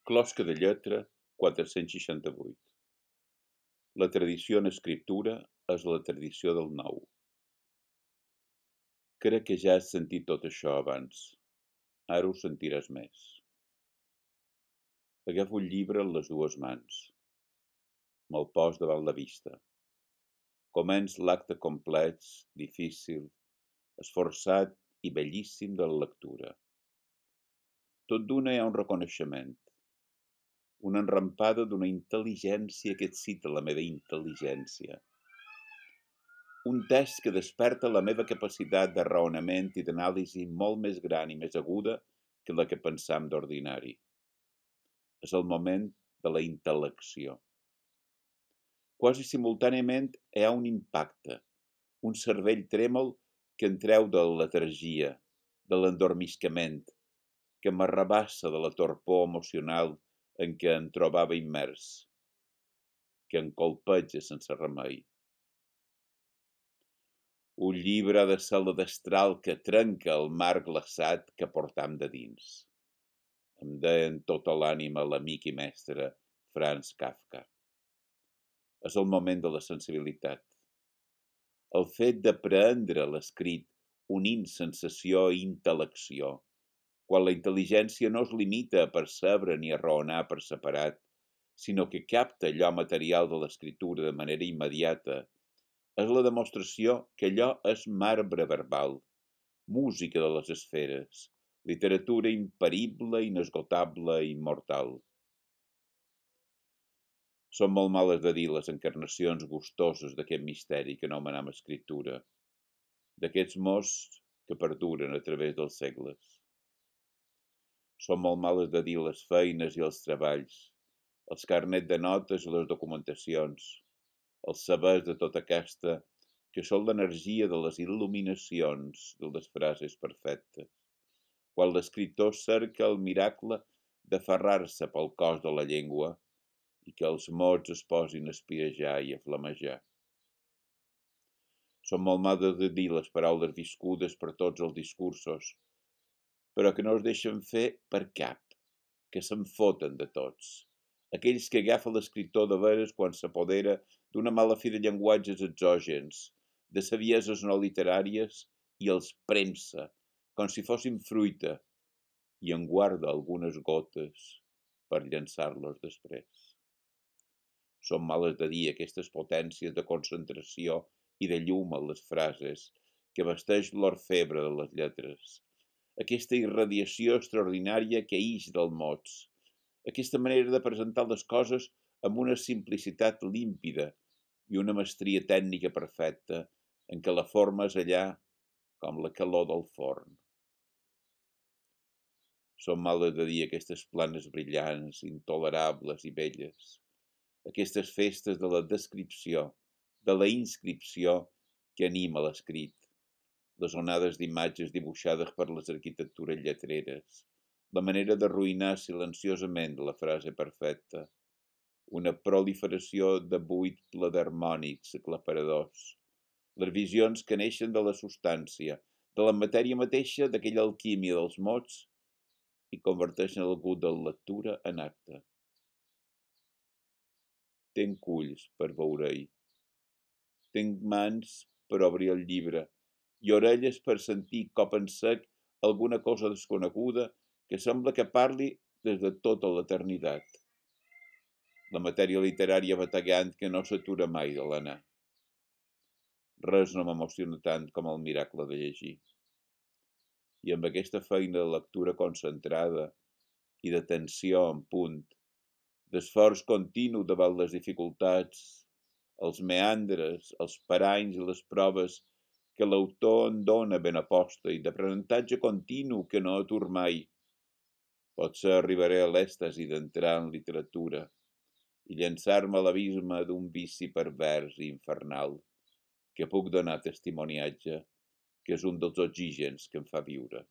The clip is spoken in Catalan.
Closca de lletra 468. La tradició en escriptura és la tradició del nou. Crec que ja has sentit tot això abans. Ara ho sentiràs més. Agafo el llibre en les dues mans. Me'l pos davant la vista. Començ l'acte complex, difícil, esforçat i bellíssim de la lectura. Tot d'una hi ha un reconeixement, una enrampada d'una intel·ligència que excita la meva intel·ligència. Un text que desperta la meva capacitat de raonament i d'anàlisi molt més gran i més aguda que la que pensam d'ordinari. És el moment de la intel·lecció. Quasi simultàniament hi ha un impacte, un cervell trèmol que em treu de la letargia, de l'endormiscament, que m'arrabassa de la torpor emocional en què em trobava immers, que em colpeja sense remei. Un llibre ha de ser la destral que trenca el marc glaçat que portam de dins. Em deia en tota l'ànima l'amic i mestre Franz Kafka. És el moment de la sensibilitat. El fet d'aprendre l'escrit unint sensació i intel·lecció, quan la intel·ligència no es limita a percebre ni a raonar per separat, sinó que capta allò material de l'escriptura de manera immediata, és la demostració que allò és marbre verbal, música de les esferes, literatura imparible, inesgotable i immortal. Són molt males de dir les encarnacions gustoses d'aquest misteri que anomenem escriptura, d'aquests mots que perduren a través dels segles. Són molt males de dir les feines i els treballs, els carnets de notes i les documentacions, els sabers de tota aquesta, que són l'energia de les il·luminacions de les frases perfectes, quan l'escriptor cerca el miracle d'aferrar-se pel cos de la llengua i que els mots es posin a espirejar i a flamejar. Són molt males de dir les paraules viscudes per tots els discursos, però que no es deixen fer per cap, que se'n foten de tots. Aquells que agafa l'escriptor de veres quan s'apodera d'una mala fi de llenguatges exògens, de savieses no literàries, i els premsa, com si fossin fruita, i en guarda algunes gotes per llançar-los després. Són males de dir aquestes potències de concentració i de llum en les frases que vesteix l'orfebre de les lletres, aquesta irradiació extraordinària que ix dels mots, aquesta manera de presentar les coses amb una simplicitat límpida i una mestria tècnica perfecta en què la forma és allà com la calor del forn. Són males de dir aquestes planes brillants, intolerables i belles, aquestes festes de la descripció, de la inscripció que anima l'escrit, les onades d'imatges dibuixades per les arquitectures lletreres, la manera d'arruïnar silenciosament la frase perfecta, una proliferació de buit ple d'harmònics aclaparadors, les visions que neixen de la substància, de la matèria mateixa d'aquella alquímia dels mots i converteixen el gust de la lectura en acte. Tenc ulls per veure-hi, tenc mans per obrir el llibre, i orelles per sentir cop en sec alguna cosa desconeguda que sembla que parli des de tota l'eternitat. La matèria literària bategant que no s'atura mai de l'anar. Res no m'emociona tant com el miracle de llegir. I amb aquesta feina de lectura concentrada i d'atenció en punt, d'esforç continu davant les dificultats, els meandres, els paranys i les proves que l'autor en dona ben aposta i d'aprenentatge continu que no atur mai. Potser arribaré a l'èxtasi d'entrar en literatura i llançar-me a l'abisme d'un vici pervers i infernal que puc donar testimoniatge, que és un dels oxígens que em fa viure.